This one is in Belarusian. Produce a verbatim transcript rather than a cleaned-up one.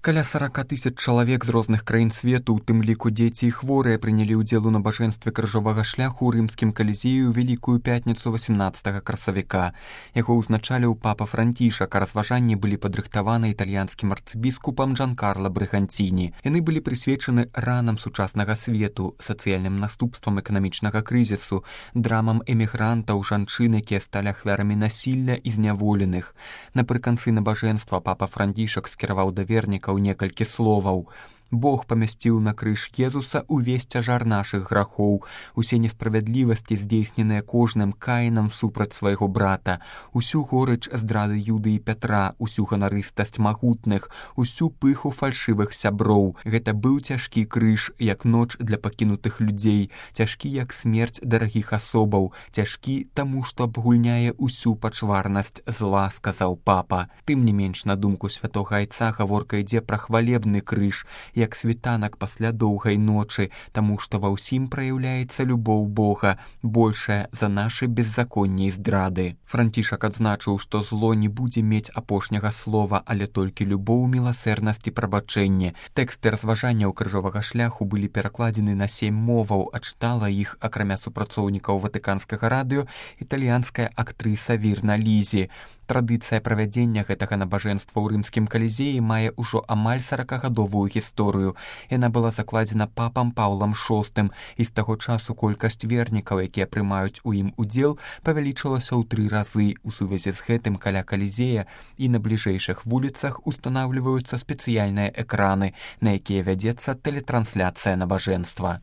Каля сорока тысяч чалавек з розных краін свету, у тым ліку дзеці і хворыя, прынялі ўдзел у набажэнстве крыжовага шляху ў рымскім калізею ў Вялікую пятніцу восемнадцатага красавіка. Яго ўзначаліў папа Францішак, а разважанні былі падрыхтаваны італьянскім арцыбіскупам Джанкарло Брыганціні. Яны былі прысвечаны ранам сучаснага свету, сацыяльным наступствам эканамічнага крызісу, драмам эмігрантаў, жанчын, якія сталі ахвярамі насілля і зняволеных. Напрыканцы набажэнства папа Францішак скіраваў да вернікаў некалькі словаў. Бог памясціў на крыж Езуса увесь цяжар нашых грахоў, усе несправядлівасці, здзейсненыя кожным каінам супраць свайго брата, усю горыч здрады Юды і Пятра, усю ганарыстасць магутных, усю пыху фальшывых сяброў. Гэта быў цяжкі крыж, як ноч для пакінутых людзей, цяжкі як смерць дарагіх асобаў, цяжкі таму, што абгульняе усю пачварнасць зла, сказаў папа. Тым не менш, на думку святога айца, гаворка ідзе пра хвалебны крыж, як світанак пасля доўгай ночы, таму што ва ўсім праяўляецца любоў Бога, большая за нашы беззаконні і здрады. Францішак адзначыў, што зло не будзе мець апошняга слова, але толькі любоў, міласэрнасць і прабачэнне. Тэксты разважанняў крыжовага шляху былі перакладзены на сем моваў, а чытала іх, акрамя супрацоўнікаў ватыканскага радыё, італьянская актрыса Вірна Лізі. Традыцыя правядзення гэтага набажэнства ў рымскім калізеі мае ўжо амаль саракагадовую гісторыю. Яна была закладзена папам Паўлам шостым, і з таго часу колькасць вернікаў, якія прымаюць у ім удзел, павялічылася ў тры разы. У сувязі з гэтым каля калізея і на бліжэйшых вуліцах устанаўліваюцца спецыяльныя экраны, на якія вядзецца тэлетрансляцыя набажэнства.